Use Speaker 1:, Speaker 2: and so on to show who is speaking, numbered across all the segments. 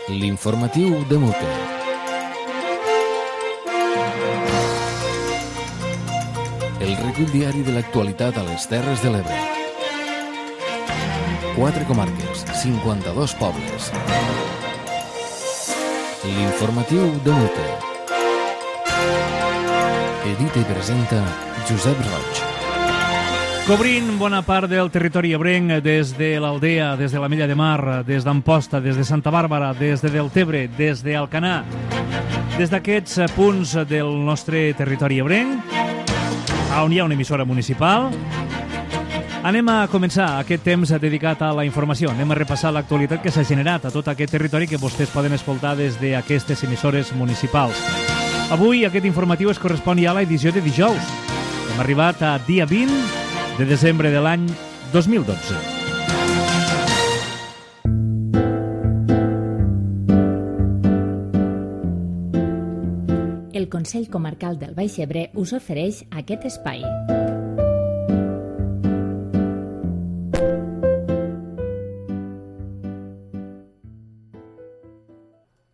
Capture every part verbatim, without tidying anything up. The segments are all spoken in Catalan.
Speaker 1: L'informatiu de Mote. El recull diari de l'actualitat a les Terres de l'Ebre. Quatre comarques, cinquanta-dos pobles. L'informatiu de Mote. Edita i presenta Josep Roig.
Speaker 2: Cobrint bona part del territori ebrenc, des de l'Aldea, des de la Mella de Mar, des d'Amposta, des de Santa Bàrbara, des de Deltebre, des d'Alcanar, des d'aquests punts del nostre territori ebrenc, on hi ha una emissora municipal. Anem a començar aquest temps dedicat a la informació. Anem a repassar l'actualitat que s'ha generat a tot aquest territori que vostès poden escoltar des d'aquestes emissores municipals. Avui aquest informatiu es correspon ja a l'edició de dijous. Hem arribat a dia vint de desembre de l'any dos mil dotze.
Speaker 3: El Consell Comarcal del Baix Ebre us ofereix aquest espai.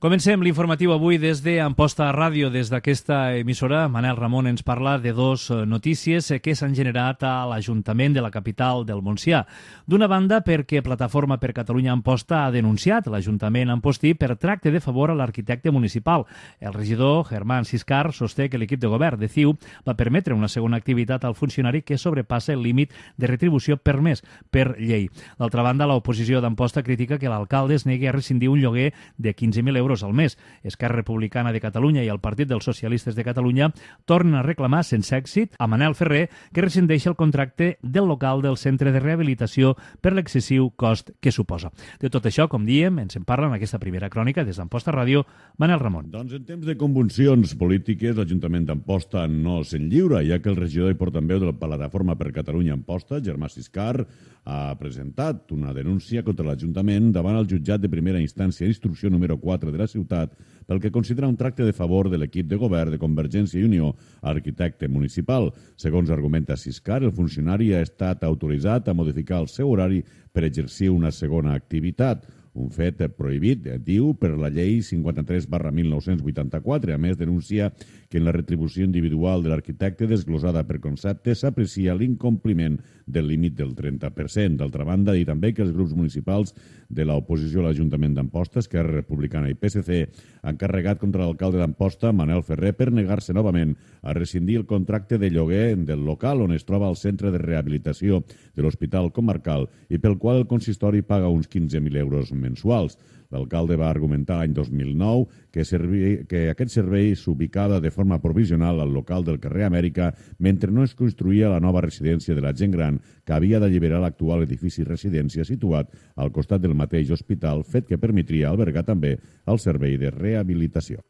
Speaker 2: Comencem l'informatiu avui des d'Amposta Ràdio. Des d'aquesta emissora, Manel Ramon ens parla de dos notícies que s'han generat a l'Ajuntament de la capital del Montsià. D'una banda, perquè Plataforma per Catalunya Amposta ha denunciat l'Ajuntament ampostí per tracte de favor a l'arquitecte municipal. El regidor, Germán Siscar, sosté que l'equip de govern de C I U va permetre una segona activitat al funcionari que sobrepassa el límit de retribució permès per llei. D'altra banda, l'oposició d'Amposta critica que l'alcalde es negui a rescindir un lloguer de quinze mil euros al mes. Esquerra Republicana de Catalunya i el Partit dels Socialistes de Catalunya tornen a reclamar sense èxit a Manel Ferrer que rescindeixi el contracte del local del centre de rehabilitació per l'excessiu cost que suposa. De tot això, com diem, ens en parla en aquesta primera crònica des d'Amposta Ràdio, Manel Ramon.
Speaker 4: Doncs en temps de convulsions polítiques, l'Ajuntament d'Amposta no se'n lliura, ja que el regidor i portaveu de la Plataforma per Catalunya Amposta, Germán Siscar, ha presentat una denúncia contra l'Ajuntament davant el jutjat de primera instància d'instrucció número quatre de la ciutat pel que considera un tracte de favor de l'equip de govern de Convergència i Unió a l'arquitecte municipal. Segons argumenta Siscar, el funcionari ha estat autoritzat a modificar el seu horari per exercir una segona activitat. Un fet prohibit, diu, per la llei cinquanta-tres barra mil nou-cents vuitanta-quatre. A més, denuncia que en la retribució individual de l'arquitecte desglosada per concepte s'aprecia l'incompliment del límit del trenta per cent. D'altra banda, dir també que els grups municipals de l'oposició a l'Ajuntament d'Amposta, Esquerra Republicana i P S C, han carregat contra l'alcalde d'Amposta, Manel Ferrer, per negar-se novament a rescindir el contracte de lloguer del local on es troba el centre de rehabilitació de l'Hospital Comarcal i pel qual el consistori paga uns quinze mil euros mensuals. L'alcalde va argumentar l'any dos mil nou que, servi, que aquest servei s'ubicava de forma provisional al local del carrer Amèrica mentre no es construïa la nova residència de la gent gran que havia d'alliberar l'actual edifici residència situat al costat del mateix hospital, fet que permetria albergar també el servei de rehabilitació.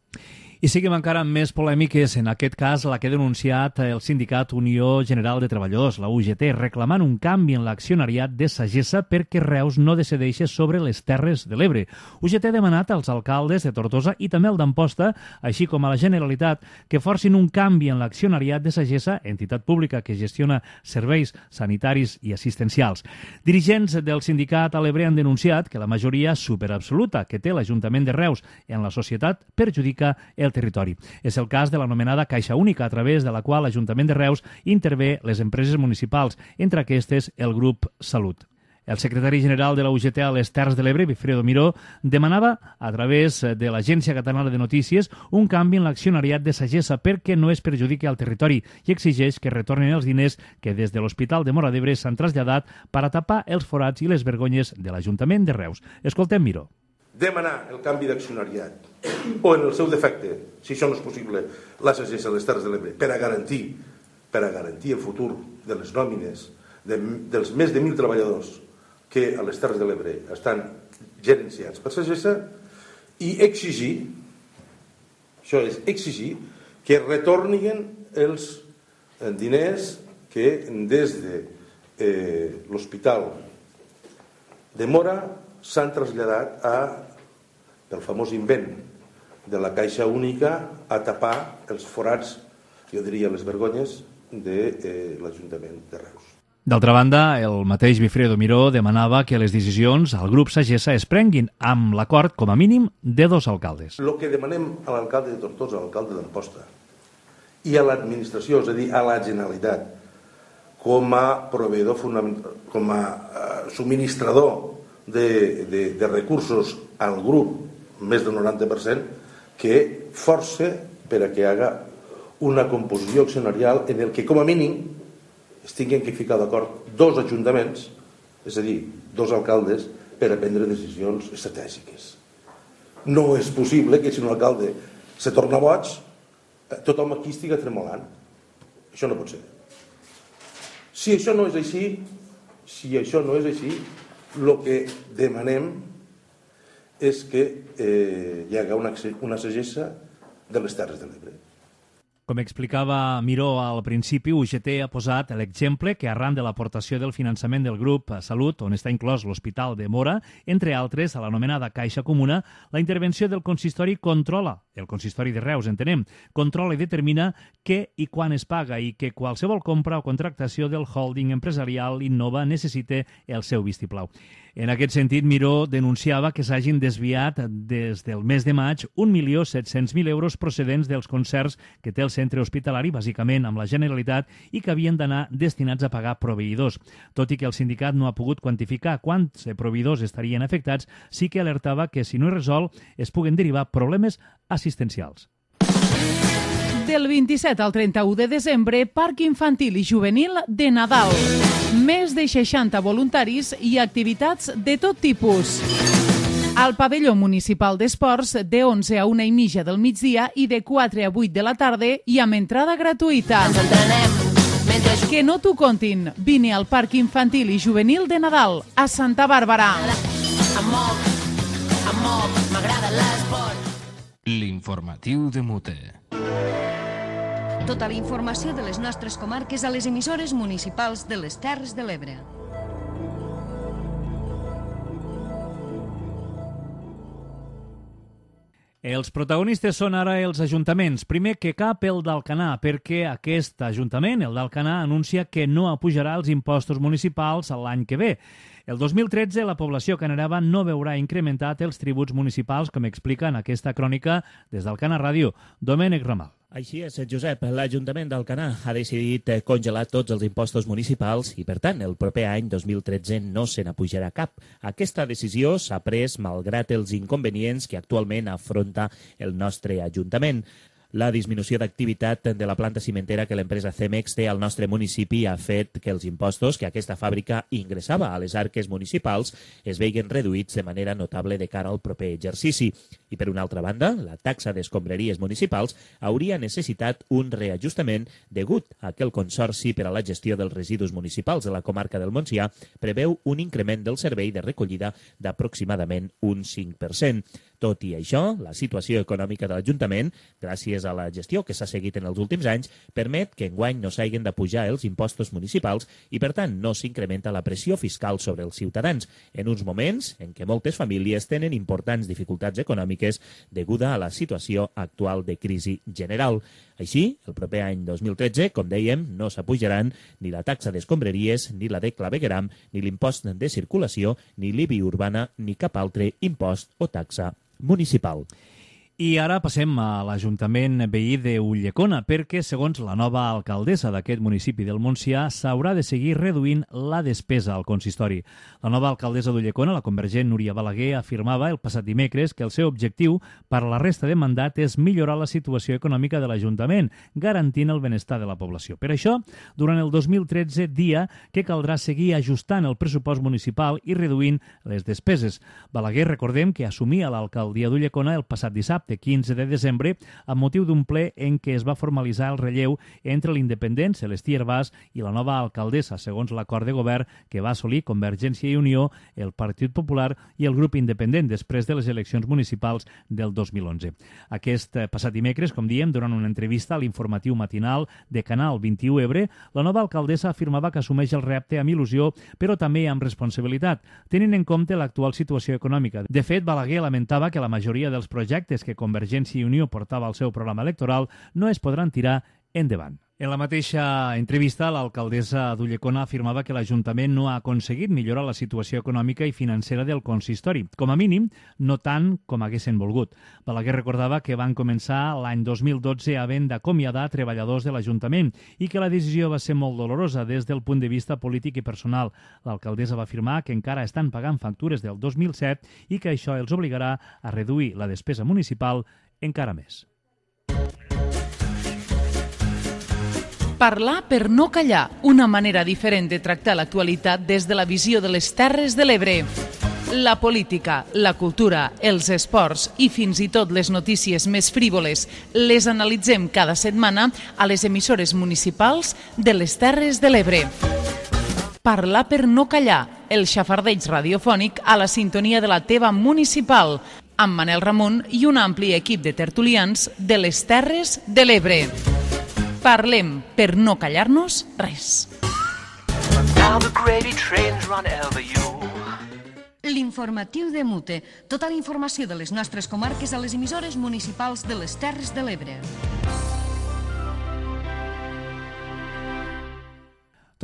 Speaker 2: I seguim encara amb més polèmiques, en aquest cas la que ha denunciat el sindicat Unió General de Treballadors, la U G T, reclamant un canvi en l'accionariat de Sagessa perquè Reus no decideixi sobre les Terres de l'Ebre. U G T ha demanat als alcaldes de Tortosa i també el d'Amposta, així com a la Generalitat, que forcin un canvi en l'accionariat de Sagessa, entitat pública que gestiona serveis sanitaris i assistencials. Dirigents del sindicat a l'Ebre han denunciat que la majoria superabsoluta que té l'Ajuntament de Reus en la societat perjudica el territori. És el cas de l'anomenada Caixa Única, a través de la qual l'Ajuntament de Reus intervé les empreses municipals, entre aquestes el grup Salut. El secretari general de la U G T a les Terres de l'Ebre, Wilfredo Miró, demanava a través de l'Agència Catalana de Notícies un canvi en l'accionariat de Sagessa perquè no es perjudiqui al territori i exigeix que retornin els diners que des de l'Hospital de Móra d'Ebre s'han traslladat per a tapar els forats i les vergonyes de l'Ajuntament de Reus. Escoltem Miró.
Speaker 5: Demanar el canvi d'accionariat o, en el seu defecte, si això no és possible, la Sagessa a les Terres de l'Ebre per a garantir per a garantir el futur de les nòmines de, dels més de mil treballadors que a les Terres de l'Ebre estan gerenciats per Sagessa i exigir, això és exigir, que retornin els diners que des de eh, l'Hospital de Móra s'han traslladat a, pel famós invent de la Caixa Única, a tapar els forats, jo diria les vergonyes, de eh, l'Ajuntament de Reus.
Speaker 2: D'altra banda, el mateix Wilfredo Miró demanava que les decisions al grup Sagessa es prenguin amb l'acord, com a mínim, de dos alcaldes.
Speaker 5: El que demanem a l'alcalde de Tortosa, a l'alcalde d'Amposta, i a l'administració, és a dir, a la Generalitat, com a proveïdor fonamental, com a uh, subministrador de, de, de recursos al grup, més del noranta per cent, que force per a que haga una composició accionarial en el que, com a mínim, es tinguin que ficar d'acord dos ajuntaments, és a dir, dos alcaldes, per a prendre decisions estratègiques. No és possible que si un alcalde se torna boig, tothom aquí estigui tremolant. Això no pot ser. Si això no és així, si això no és així, el que demanem és que eh, hi haga una, una sagessa de les Terres de l'Ebre.
Speaker 2: Com explicava Miró al principi, U G T ha posat l'exemple que arran de l'aportació del finançament del grup Salut, on està inclòs l'Hospital de Móra, entre altres, a l'anomenada Caixa Comuna, la intervenció del consistori controla, el consistori de Reus, entenem, controla i determina què i quan es paga i que qualsevol compra o contractació del holding empresarial Innova necessite el seu vistiplau. En aquest sentit, Miró denunciava que s'hagin desviat des del mes de maig un milió set-cents mil euros procedents dels concerts que té el centre hospitalari, bàsicament amb la Generalitat, i que havien d'anar destinats a pagar proveïdors. Tot i que el sindicat no ha pogut quantificar quants proveïdors estarien afectats, sí que alertava que si no es resol es puguen derivar problemes assistencials.
Speaker 6: Del vint-i-set al trenta-u de desembre, Parc Infantil i Juvenil de Nadal. Més de seixanta voluntaris i activitats de tot tipus. Al pavelló municipal d'esports, de onze a una i mitja del migdia i de quatre a vuit de la tarda i amb entrada gratuïta.
Speaker 7: Ens entrenem mentre...
Speaker 6: Que no t'ho contin. Vine al Parc Infantil i Juvenil de Nadal, a Santa Bàrbara.
Speaker 7: Em moc, em moc, m'agrada l'esport.
Speaker 1: L'informatiu de Mute.
Speaker 8: Tota la informació de les nostres comarques a les emissores municipals de les Terres de l'Ebre.
Speaker 2: Els protagonistes són ara els ajuntaments. Primer que cap el d'Alcanar, perquè aquest ajuntament, el d'Alcanar, anuncia que no apujarà els impostos municipals l'any que ve. El dos mil tretze la població canarava no veurà incrementat els tributs municipals, com explica en aquesta crònica des d'Alcanar Ràdio, Domènec Ramal.
Speaker 9: Així és, Josep. L'Ajuntament d'Alcanar ha decidit congelar tots els impostos municipals i, per tant, el proper any dos mil tretze no se n'apujarà cap. Aquesta decisió s'ha pres malgrat els inconvenients que actualment afronta el nostre Ajuntament. La disminució d'activitat de la planta cimentera que l'empresa Cemex té al nostre municipi ha fet que els impostos que aquesta fàbrica ingressava a les arques municipals es veien reduïts de manera notable de cara al proper exercici. I, per una altra banda, la taxa d'escombraries municipals hauria necessitat un reajustament degut a que el Consorci per a la gestió dels residus municipals de la comarca del Montsià preveu un increment del servei de recollida d'aproximadament un cinc per cent. Tot i això, la situació econòmica de l'Ajuntament, gràcies a la gestió que s'ha seguit en els últims anys, permet que enguany no s'hagin de pujar els impostos municipals i, per tant, no s'incrementa la pressió fiscal sobre els ciutadans, en uns moments en què moltes famílies tenen importants dificultats econòmiques deguda a la situació actual de crisi general. Així, el proper any dos mil tretze, com dèiem, no s'apujaran ni la taxa d'escombraries, ni la de clavegueram, ni l'impost de circulació, ni l'I B I urbana, ni cap altre impost o taxa municipal.
Speaker 2: I ara passem a l'Ajuntament veí de Ulldecona, perquè, segons la nova alcaldessa d'aquest municipi del Montsià, s'haurà de seguir reduint la despesa al consistori. La nova alcaldessa d'Ulldecona, la convergent Núria Balaguer, afirmava el passat dimecres que el seu objectiu per a la resta de mandat és millorar la situació econòmica de l'Ajuntament, garantint el benestar de la població. Per això, durant el dos mil tretze, dia que caldrà seguir ajustant el pressupost municipal i reduint les despeses. Balaguer, recordem que assumia l'alcaldia d'Ulldecona el passat dissabte, de quinze de desembre, amb motiu d'un ple en què es va formalitzar el relleu entre l'independent Celestí Hervàs i la nova alcaldessa, segons l'acord de govern que va assolir Convergència i Unió, el Partit Popular i el grup independent després de les eleccions municipals del dos mil onze. Aquest passat dimecres, com diem, durant una entrevista a l'informatiu matinal de Canal vint-i-u Ebre, la nova alcaldessa afirmava que assumeix el repte amb il·lusió, però també amb responsabilitat, tenint en compte l'actual situació econòmica. De fet, Balaguer lamentava que la majoria dels projectes que Convergència i Unió portava al seu programa electoral no es podran tirar endavant. En la mateixa entrevista, l'alcaldessa d'Ulldecona afirmava que l'Ajuntament no ha aconseguit millorar la situació econòmica i financera del consistori. Com a mínim, no tant com haguessin volgut. Balaguer recordava que van començar l'any dos mil dotze havent d'acomiadar treballadors de l'Ajuntament i que la decisió va ser molt dolorosa des del punt de vista polític i personal. L'alcaldessa va afirmar que encara estan pagant factures del dos mil set i que això els obligarà a reduir la despesa municipal encara més.
Speaker 6: Parlar per no callar, una manera diferent de tractar l'actualitat des de la visió de les Terres de l'Ebre. La política, la cultura, els esports i fins i tot les notícies més frívoles les analitzem cada setmana a les emissores municipals de les Terres de l'Ebre. Parlar per no callar, el xafardeig radiofònic a la sintonia de la teva municipal, amb Manel Ramon i un ampli equip de tertulians de les Terres de l'Ebre. Parlem per no callar-nos res.
Speaker 8: L'informatiu de Mute. Tota la informació de les nostres comarques a les emissores municipals de les Terres de l'Ebre.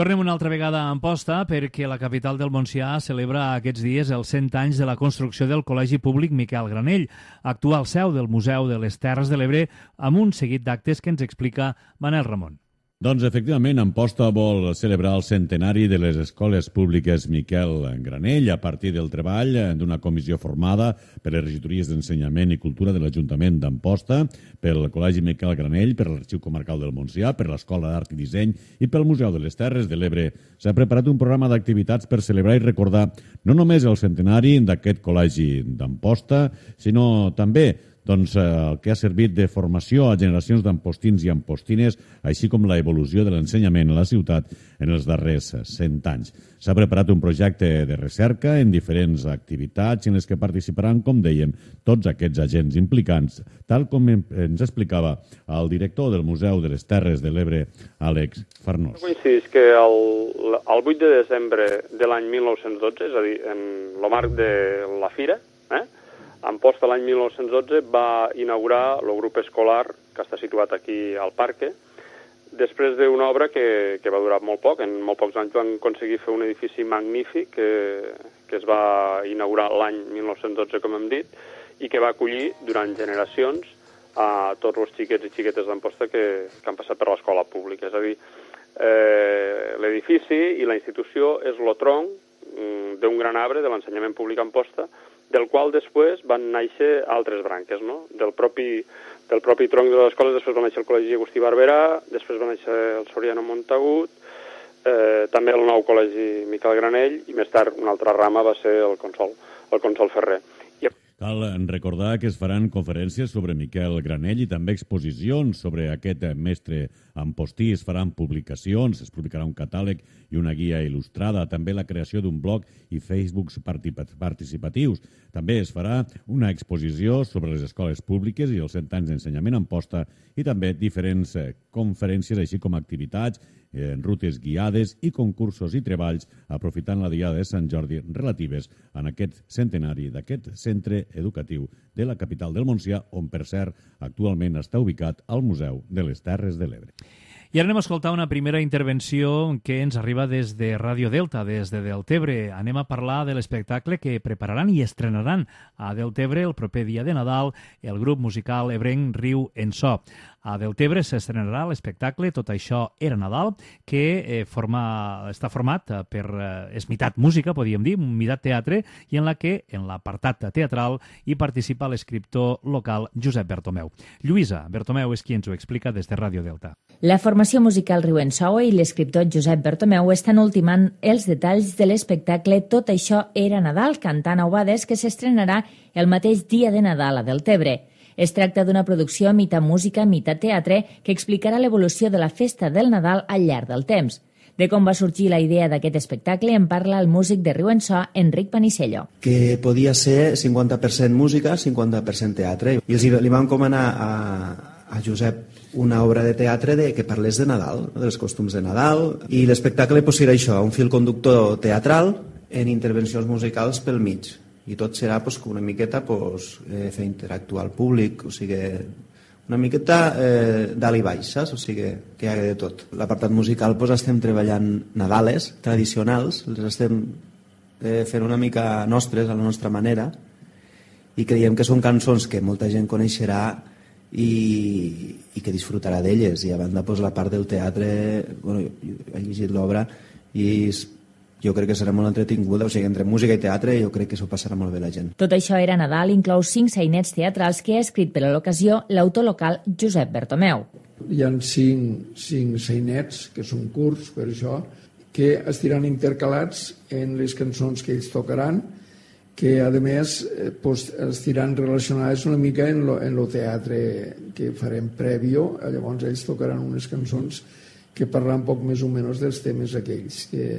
Speaker 2: Tornem una altra vegada a Amposta perquè la capital del Montsià celebra aquests dies els cent anys de la construcció del Col·legi Públic Miquel Granell, actual seu del Museu de les Terres de l'Ebre, amb un seguit d'actes que ens explica Manel Ramon.
Speaker 4: Doncs, efectivament, Amposta vol celebrar el centenari de les escoles públiques Miquel Granell a partir del treball d'una comissió formada per les regidories d'Ensenyament i Cultura de l'Ajuntament d'Amposta, pel Col·legi Miquel Granell, per l'Arxiu Comarcal del Montsià, per l'Escola d'Art i Disseny i pel Museu de les Terres de l'Ebre. S'ha preparat un programa d'activitats per celebrar i recordar no només el centenari d'aquest col·legi d'Amposta, sinó també doncs, el que ha servit de formació a generacions d'ampostins i ampostines, així com la evolució de l'ensenyament a la ciutat en els darrers cent anys. S'ha preparat un projecte de recerca en diferents activitats en les que participaran, com dèiem, tots aquests agents implicants, tal com ens explicava el director del Museu de les Terres de l'Ebre, Àlex Farnós.
Speaker 10: Coincideix que el, el vuit de desembre de l'any mil nou-cents dotze, és a dir, en el marc de la Fira, eh, Amposta l'any mil nou-cents dotze va inaugurar el grup escolar que està situat aquí al parc, després d'una obra que, que va durar molt poc. En molt pocs anys van aconseguir fer un edifici magnífic que, que es va inaugurar l'any mil nou-cents dotze, com hem dit, i que va acollir durant generacions a tots els xiquets i xiquetes d'Amposta que, que han passat per l'escola pública. És a dir, eh, l'edifici i la institució és el tronc mm, d'un gran arbre de l'ensenyament públic a Amposta, del qual després van néixer altres branques, no? Del propi, del propi tronc de les escoles després va néixer el Col·legi Agustí Barberà, després va néixer el Soriano Montagut, eh, també el nou Col·legi Miquel Granell, i més tard una altra rama va ser el Consol, el Consol Ferrer. I...
Speaker 4: Cal recordar que es faran conferències sobre Miquel Granell i també exposicions sobre aquest mestre ampostí. Es faran publicacions, es publicarà un catàleg i una guia il·lustrada, també la creació d'un blog i Facebooks participatius. També es farà una exposició sobre les escoles públiques i els cent anys d'ensenyament a Amposta i també diferents conferències, així com activitats, eh, rutes guiades i concursos i treballs, aprofitant la Diada de Sant Jordi relatives en aquest centenari d'aquest centre educatiu de la capital del Montsià, on, per cert, actualment està ubicat al Museu de les Terres de l'Ebre.
Speaker 2: I ara anem a escoltar una primera intervenció que ens arriba des de Ràdio Delta, des de Deltebre. Anem a parlar de l'espectacle que prepararan i estrenaran a Deltebre el proper dia de Nadal el grup musical ebrenc Riu en So. A Deltebre s'estrenarà l'espectacle Tot això era Nadal, que eh, forma, està format per, eh, és meitat música, podríem dir, meitat teatre, i en la que, en l'apartat teatral, hi participa l'escriptor local Josep Bertomeu. Lluïsa Bertomeu és qui ens ho explica des de Ràdio Delta.
Speaker 3: La formació musical Riu en So i l'escriptor Josep Bertomeu estan ultimant els detalls de l'espectacle Tot això era Nadal, cantant a Obades, que s'estrenarà el mateix dia de Nadal a Deltebre. Es tracta d'una producció meitat música, meitat teatre, que explicarà l'evolució de la festa del Nadal al llarg del temps. De com va sorgir la idea d'aquest espectacle en parla el músic de Riu en So, Enric Panicello.
Speaker 11: Que podia ser cinquanta per cent música, cinquanta per cent teatre. I els li van encomanar a, a Josep una obra de teatre de, que parlés de Nadal, no? dels costums de Nadal, i l'espectacle pues, serà això, un fil conductor teatral en intervencions musicals pel mig. I tot serà pues, una miqueta pues, eh, fer interactuar al públic, o sigui, una miqueta eh, dalt i baix, saps? O sigui, que hi ha de tot. L'apartat musical doncs, estem treballant Nadales tradicionals, els estem eh, fent una mica nostres, a la nostra manera, i creiem que són cançons que molta gent coneixerà i, i que disfrutarà d'elles. I a banda, doncs, la part del teatre, bueno, jo he llegit l'obra i jo crec que serà molt entretinguda, o sigui, entre música i teatre jo crec que s'ho passarà molt bé la gent.
Speaker 3: Tot això era Nadal, inclou cinc sainets teatrals que ha escrit per a l'ocasió l'autor local Josep Bertomeu.
Speaker 12: Hi ha cinc, cinc sainets, que són curts per això, que estiran intercalats en les cançons que ells tocaran, que a més eh, pues, estiran relacionades una mica en lo, en lo teatre que farem prèvio, llavors ells tocaran unes cançons que parlen poc més o menys dels temes aquells que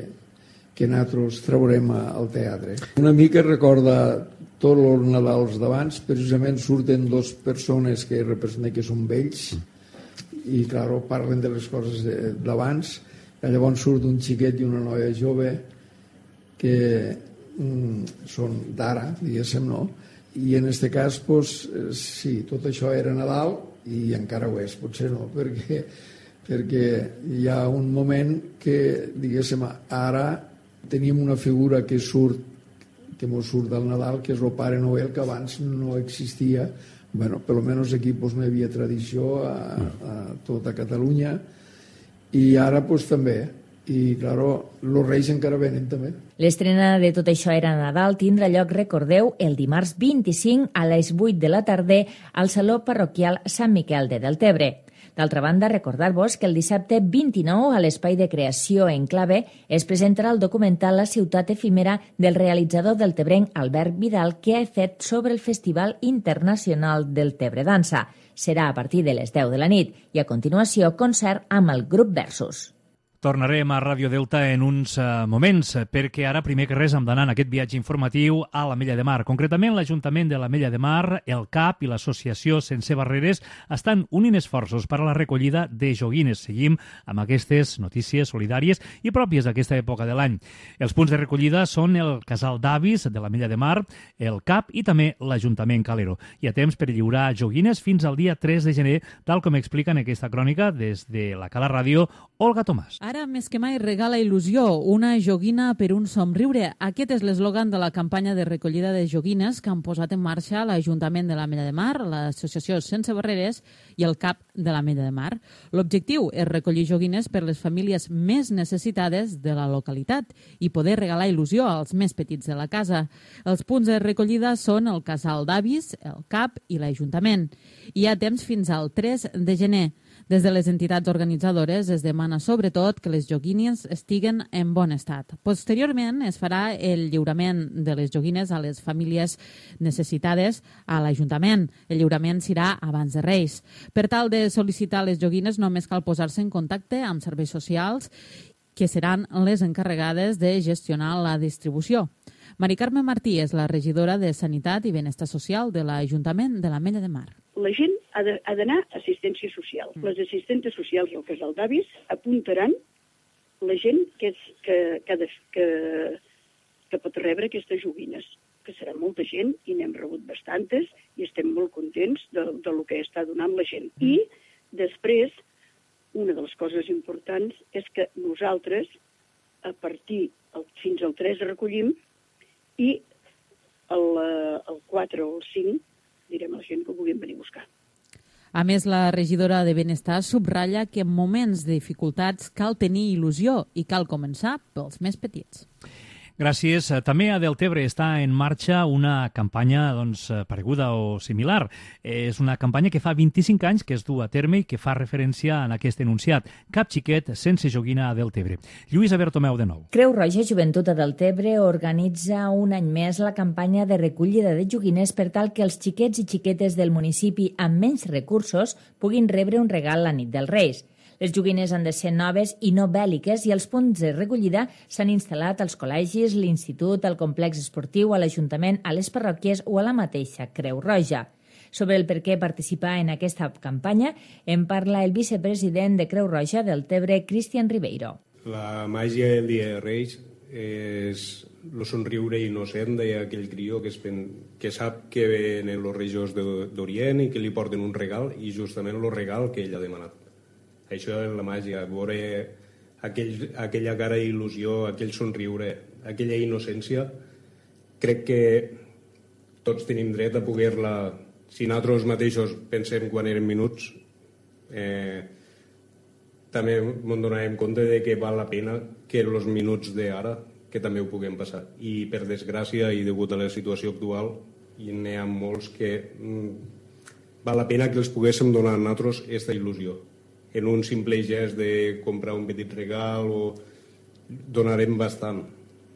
Speaker 12: que nosaltres traurem al teatre. Una mica recorda tots els Nadals d'abans, precisament surten dues persones que representen que són vells i, clar, parlen de les coses d'abans. Llavors surt un xiquet i una noia jove que mm, són d'ara, diguéssim, no? I en aquest cas, pues, sí, tot això era Nadal i encara ho és, potser no, perquè, perquè hi ha un moment que, diguéssim, ara tenim una figura que surt, que mos surt del Nadal, que és el Pare Noel, que abans no existia. Bueno, per almenys aquí pues, no hi havia tradició a, a tota Catalunya, i ara pues, també. I, claro, els Reis encara venen també.
Speaker 3: L'estrena de Tot això era Nadal tindrà lloc, recordeu, el dimarts vint-i-cinc a les vuit de la tarda al Saló Parroquial Sant Miquel de Deltebre. D'altra banda, recordar-vos que el dissabte vint-i-nou a l'Espai de Creació Enclave es presentarà el documental La ciutat efímera del realitzador deltebrenc Albert Vidal, que ha fet sobre el Festival Internacional del Tebre Dansa. Serà a partir de les deu de la nit i a continuació concert amb el grup Versus.
Speaker 2: Tornarem a Ràdio Delta en uns uh, moments, perquè ara, primer que res, hem d'anar en aquest viatge informatiu a l'Ametlla de Mar. Concretament, l'Ajuntament de l'Ametlla de Mar, el C A P i l'Associació Sense Barreres estan unint esforços per a la recollida de joguines. Seguim amb aquestes notícies solidàries i pròpies d'aquesta època de l'any. Els punts de recollida són el Casal d'Avis de l'Ametlla de Mar, el C A P i també l'Ajuntament Calero. Hi ha temps per lliurar joguines fins al dia tres de gener, tal com explica en aquesta crònica des de la Cala Ràdio, Olga Tomàs.
Speaker 13: Ara més que mai regala il·lusió, una joguina per un somriure. Aquest és l'eslògan de la campanya de recollida de joguines que han posat en marxa l'Ajuntament de l'Ametlla de Mar, l'Associació Sense Barreres i el C A P de l'Ametlla de Mar. L'objectiu és recollir joguines per les famílies més necessitades de la localitat i poder regalar il·lusió als més petits de la casa. Els punts de recollida són el Casal d'Avis, el C A P i l'Ajuntament. Hi ha temps fins al tres de gener. Des de les entitats organitzadores es demana sobretot que les joguines estiguen en bon estat. Posteriorment es farà el lliurament de les joguines a les famílies necessitades a l'Ajuntament. El lliurament serà abans de Reis. Per tal de sol·licitar les joguines només cal posar-se en contacte amb serveis socials, que seran les encarregades de gestionar la distribució. Mari Carme Martí és la regidora de Sanitat i Benestar Social de l'Ajuntament de l'Ametlla de Mar.
Speaker 14: La gent ha d'anar a assistència social. Les assistentes socials i el Casal d'Avis apuntaran la gent que, és, que, que, que, que pot rebre aquestes joguines, que serà molta gent i n'hem rebut bastantes i estem molt contents de, de lo que està donant la gent. I després, una de les coses importants és que nosaltres, a partir el, fins al tres recollim i el, el quatre o el cinc direm a la gent que ho vulguin venir a buscar.
Speaker 13: A més, la regidora de Benestar subratlla que en moments de dificultats cal tenir il·lusió i cal començar pels més petits.
Speaker 2: Gràcies. També a Deltebre està en marxa una campanya doncs, pareguda o similar. És una campanya que fa vint-i-cinc anys que es du a terme i que fa referència en aquest enunciat. Cap xiquet sense joguina a Deltebre. Lluïsa Bertomeu de nou.
Speaker 3: Creu Roja Joventut a Deltebre organitza un any més la campanya de recollida de joguines per tal que els xiquets i xiquetes del municipi amb menys recursos puguin rebre un regal la nit dels Reis. Les joguines han de ser noves i no bèl·liques i els punts de recollida s'han instal·lat als col·legis, l'institut, al complex esportiu, a l'Ajuntament, a les parròquies o a la mateixa Creu Roja. Sobre el per què participar en aquesta campanya en parla el vicepresident de Creu Roja del Tebre, Cristian Ribeiro.
Speaker 15: La màgia del Dia de Reis és el somriure innocent d'aquell crió que, es pen, que sap que venen els reis d'Orient i que li porten un regal, i justament el regal que ell ha demanat. Això és la màgia, veure aquell, aquella cara d'il·lusió, aquell somriure, aquella innocència. Crec que tots tenim dret a poder-la, si nosaltres mateixos pensem quan eren minuts, eh, també ens donarem compte de que val la pena que els minuts d'ara que també ho puguem passar. I per desgràcia i degut a la situació actual n'hi ha molts que mm, val la pena que els poguéssim donar a nosaltres aquesta il·lusió. En un simple gest de comprar un petit regal o donarem bastant.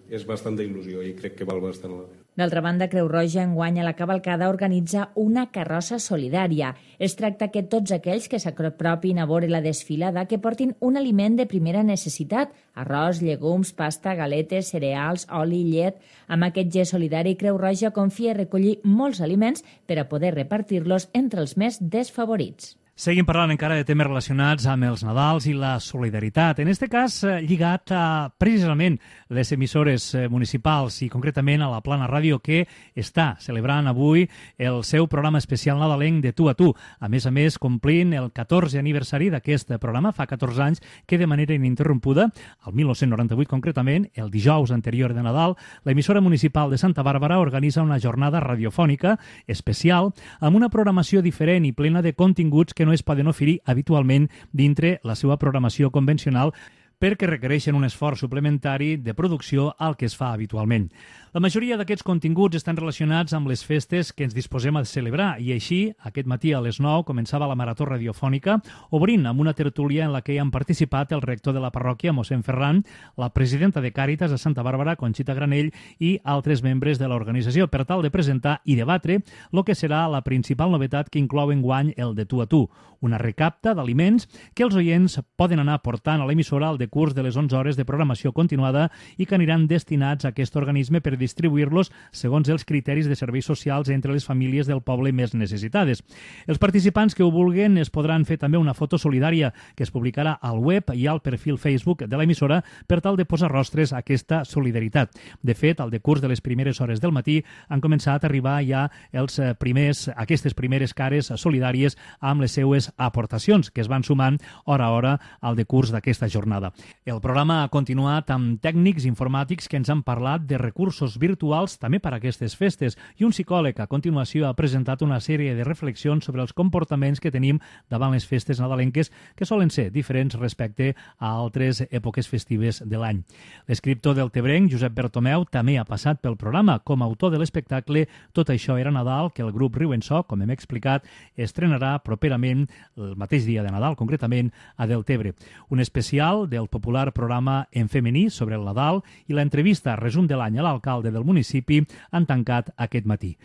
Speaker 15: És bastanta il·lusió i crec que val bastant la pena.
Speaker 3: D'altra banda, Creu Roja enguany a la cavalcada organitza una carrossa solidària. Es tracta que tots aquells que s'apropin a veure la desfilada que portin un aliment de primera necessitat, arròs, llegums, pasta, galetes, cereals, oli, llet. Amb aquest gest solidari, Creu Roja confia recollir molts aliments per a poder repartir-los entre els més desfavorits.
Speaker 2: Seguim parlant encara de temes relacionats amb els Nadals i la solidaritat. En aquest cas, lligat a precisament les emissores municipals i concretament a la Plana Ràdio, que està celebrant avui el seu programa especial nadalenc de Tu a Tu. A més a més, complint el catorzè aniversari d'aquest programa, fa catorze anys que de manera ininterrompuda, el dinou noranta-vuit concretament, el dijous anterior de Nadal, l'emissora municipal de Santa Bàrbara organitza una jornada radiofònica especial amb una programació diferent i plena de continguts que no es poden oferir habitualment dintre la seva programació convencional perquè requereixen un esforç suplementari de producció al que es fa habitualment. La majoria d'aquests continguts estan relacionats amb les festes que ens disposem a celebrar i així, aquest matí a les nou començava la marató radiofònica, obrint amb una tertúlia en la que hi han participat el rector de la parròquia, mossèn Ferran, la presidenta de Càritas a Santa Bàrbara, Conxita Granell, i altres membres de l'organització, per tal de presentar i debatre el que serà la principal novetat que inclou enguany el de Tu a Tu, una recapta d'aliments que els oients poden anar portant a l'emissora al decurs de les onze hores de programació continuada i que aniran destinats a aquest organisme per distribuir-los segons els criteris de serveis socials entre les famílies del poble més necessitades. Els participants que ho vulguen es podran fer també una foto solidària que es publicarà al web i al perfil Facebook de l'emissora per tal de posar rostres a aquesta solidaritat. De fet, al decurs de les primeres hores del matí han començat a arribar ja els primers, aquestes primeres cares solidàries amb les seues aportacions que es van sumant hora a hora al decurs d'aquesta jornada. El programa ha continuat amb tècnics informàtics que ens han parlat de recursos virtuals també per a aquestes festes i un psicòleg a continuació ha presentat una sèrie de reflexions sobre els comportaments que tenim davant les festes nadalenques que solen ser diferents respecte a altres èpoques festives de l'any. L'escriptor del Tebrenc, Josep Bertomeu, també ha passat pel programa com a autor de l'espectacle Tot això era Nadal, que el grup Riu en So, com hem explicat, estrenarà properament el mateix dia de Nadal, concretament a Deltebre. Un especial del popular programa En femení sobre el Nadal i l'entrevista resum de l'any a l'alcalde del municipi han tancat aquest matí.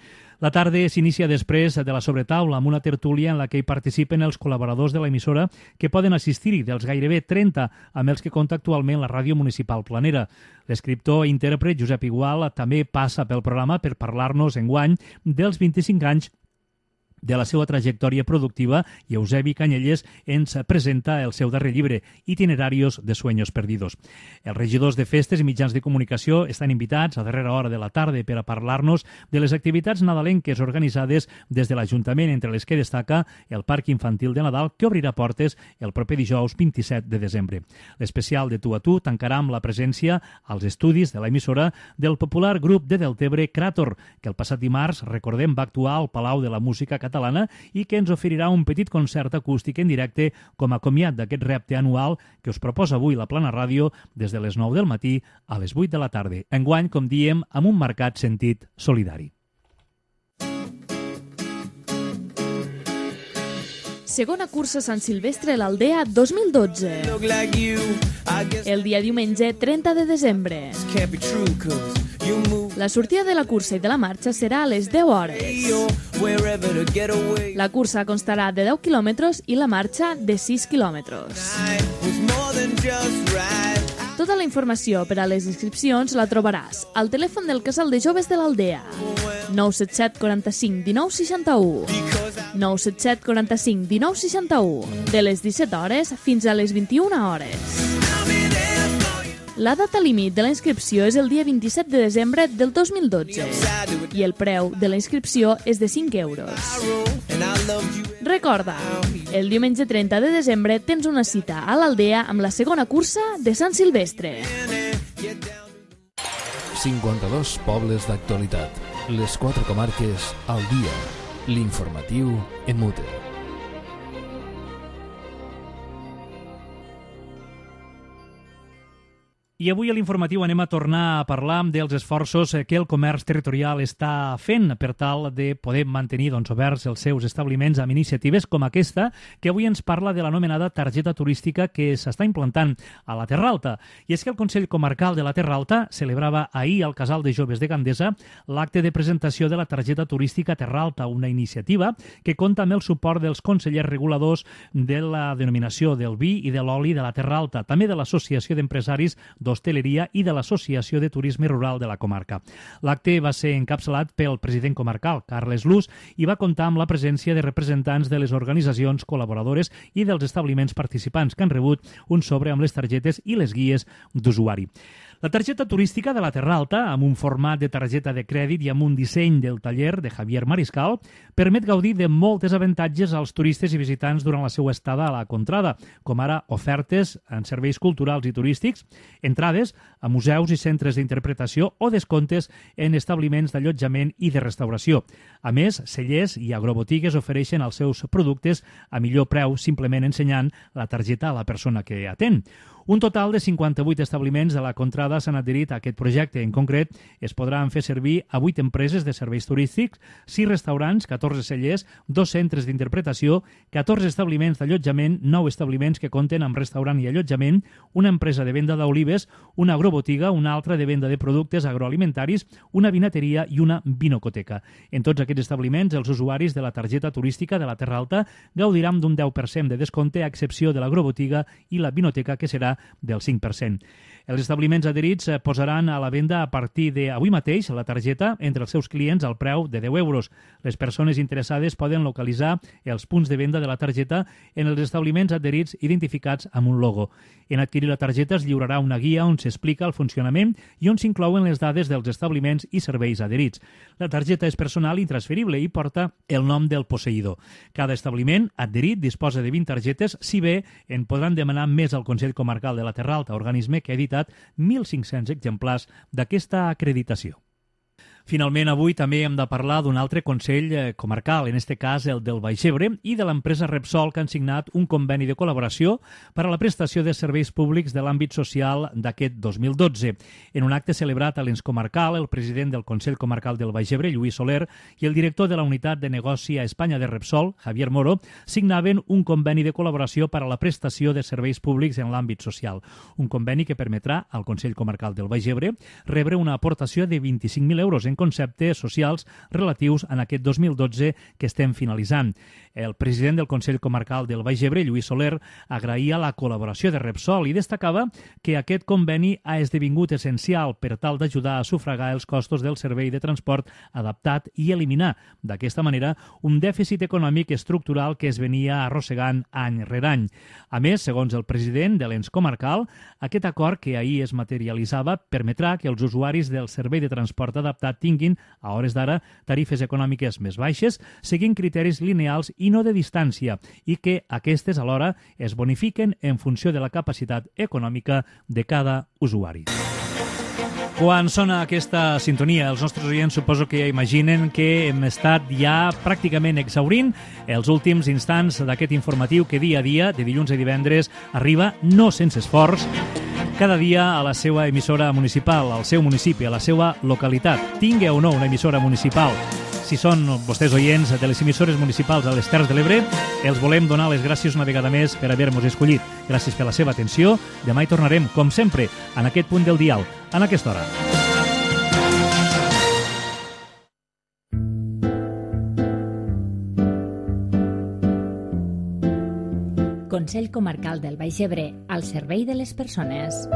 Speaker 2: La tarda s'inicia després de la sobretaula amb una tertúlia en la que hi participen els col·laboradors de l'emissora que poden assistir-hi dels gairebé trenta amb els que compta actualment la ràdio municipal planera. L'escriptor i intèrpret Josep Igual també passa pel programa per parlar-nos enguany dels vint-i-cinc anys de la seva trajectòria productiva i Eusebi Canyelles ens presenta el seu darrer llibre, Itinerarios de Sueños Perdidos. Els regidors de festes i mitjans de comunicació estan invitats a darrera hora de la tarda per a parlar-nos de les activitats nadalenques organitzades des de l'Ajuntament, entre les que destaca el Parc Infantil de Nadal, que obrirà portes el proper dijous vint-i-set de desembre. L'especial de Tu a Tu tancarà amb la presència als estudis de l'emissora del popular grup de Deltebre Cràtor, que el passat dimarts, recordem, va actuar al Palau de la Música Catalana catalana i que ens oferirà un petit concert acústic en directe com a comiat d'aquest repte anual que us proposa avui la Plana Ràdio des de les nou del matí a les vuit de la tarda. Enguany, com diem, amb un marcat sentit solidari.
Speaker 16: Segona cursa Sant Silvestre a l'Aldea dos mil dotze. El dia diumenge trenta de desembre. La sortida de la cursa i de la marxa serà a les deu hores. La cursa constarà de deu quilòmetres i la marxa de sis quilòmetres. Tota la informació per a les inscripcions la trobaràs al telèfon del Casal de Joves de l'Aldea. nou set set quaranta-cinc dinou seixanta-u. nou set set quaranta-cinc dinou seixanta-u. De les disset hores fins a les vint-i-una hores. La data límit de la inscripció és el dia vint-i-set de desembre del dos mil dotze i el preu de la inscripció és de cinc euros. Recorda, el diumenge trenta de desembre tens una cita a l'Aldea amb la segona cursa de Sant Silvestre.
Speaker 1: cinquanta-dos pobles d'actualitat. Les quatre comarques al dia. L'informatiu en mute.
Speaker 2: I avui a l'informatiu anem a tornar a parlar dels esforços que el comerç territorial està fent per tal de poder mantenir doncs, oberts els seus establiments amb iniciatives com aquesta, que avui ens parla de l'anomenada targeta turística que s'està implantant a la Terra Alta. I és que el Consell Comarcal de la Terra Alta celebrava ahir al Casal de Joves de Gandesa l'acte de presentació de la targeta turística Terra Alta, una iniciativa que compta amb el suport dels consellers reguladors de la denominació del vi i de l'oli de la Terra Alta, també de l'Associació d'Empresaris d'Hostaleria i de l'Associació de Turisme Rural de la comarca. L'acte va ser encapçalat pel president comarcal, Carles Luz, i va comptar amb la presència de representants de les organitzacions col·laboradores i dels establiments participants que han rebut un sobre amb les targetes i les guies d'usuari. La targeta turística de la Terra Alta, amb un format de targeta de crèdit i amb un disseny del taller de Javier Mariscal, permet gaudir de moltes avantatges als turistes i visitants durant la seva estada a la contrada, com ara ofertes en serveis culturals i turístics, entrades a museus i centres d'interpretació o descomptes en establiments d'allotjament i de restauració. A més, cellers i agrobotigues ofereixen els seus productes a millor preu simplement ensenyant la targeta a la persona que atén. Un total de cinquanta-vuit establiments de la contrada s'han adherit a aquest projecte. En concret, es podran fer servir a vuit empreses de serveis turístics, sis restaurants, catorze cellers, dos centres d'interpretació, catorze establiments d'allotjament, nou establiments que compten amb restaurant i allotjament, una empresa de venda d'olives, una agrobotiga, una altra de venda de productes agroalimentaris, una vinateria i una vinocoteca. En tots aquests establiments, els usuaris de la targeta turística de la Terra Alta gaudiran d'un deu per cent de descompte, a excepció de l'agrobotiga i la vinoteca, que serà del cinc per cent. Els establiments adherits posaran a la venda a partir d'avui mateix la targeta entre els seus clients al preu de deu euros. Les persones interessades poden localitzar els punts de venda de la targeta en els establiments adherits identificats amb un logo. En adquirir la targeta es lliurarà una guia on s'explica el funcionament i on s'inclouen les dades dels establiments i serveis adherits. La targeta és personal i intransferible i porta el nom del posseïdor. Cada establiment adherit disposa de vint targetes, si bé en podran demanar més al Consell Comarcal de la Terra Alta, organisme que ha editat mil cinc-cents exemplars d'aquesta acreditació. Finalment, avui també hem de parlar d'un altre Consell Comarcal, en aquest cas el del Baix Ebre, i de l'empresa Repsol, que han signat un conveni de col·laboració per a la prestació de serveis públics de l'àmbit social d'aquest dos mil dotze. En un acte celebrat a l'Ens Comarcal, el president del Consell Comarcal del Baix Ebre, Lluís Soler, i el director de la unitat de negoci a Espanya de Repsol, Javier Moro, signaven un conveni de col·laboració per a la prestació de serveis públics en l'àmbit social. Un conveni que permetrà al Consell Comarcal del Baix Ebre rebre una aportació de vint-i-cinc mil euros en conceptes socials relatius en aquest dos mil dotze que estem finalitzant. El president del Consell Comarcal del Baix Ebre, Lluís Soler, agraïa la col·laboració de Repsol i destacava que aquest conveni ha esdevingut essencial per tal d'ajudar a sufragar els costos del servei de transport adaptat i eliminar, d'aquesta manera, un dèficit econòmic estructural que es venia arrossegant any rere any. A més, segons el president de l'Ens Comarcal, aquest acord que ahir es materialitzava permetrà que els usuaris del servei de transport adaptat tinguin, a hores d'ara, tarifes econòmiques més baixes, seguint criteris lineals i no de distància, i que aquestes alhora es bonifiquen en funció de la capacitat econòmica de cada usuari. Quan sona aquesta sintonia, els nostres oients suposo que ja imaginen que hem estat ja pràcticament exhaurint els últims instants d'aquest informatiu que dia a dia, de dilluns a divendres, arriba, no sense esforç, cada dia a la seva emissora municipal, al seu municipi, a la seva localitat. Tingui o no una emissora municipal. Si són vostès oients de les emissores municipals a les Terres de l'Ebre, els volem donar les gràcies una vegada més per haver-nos escollit. Gràcies per la seva atenció. Demà hi tornarem, com sempre, en aquest punt del dial, en aquesta hora.
Speaker 3: Consell Comarcal del Baix Ebre, al servei de les persones.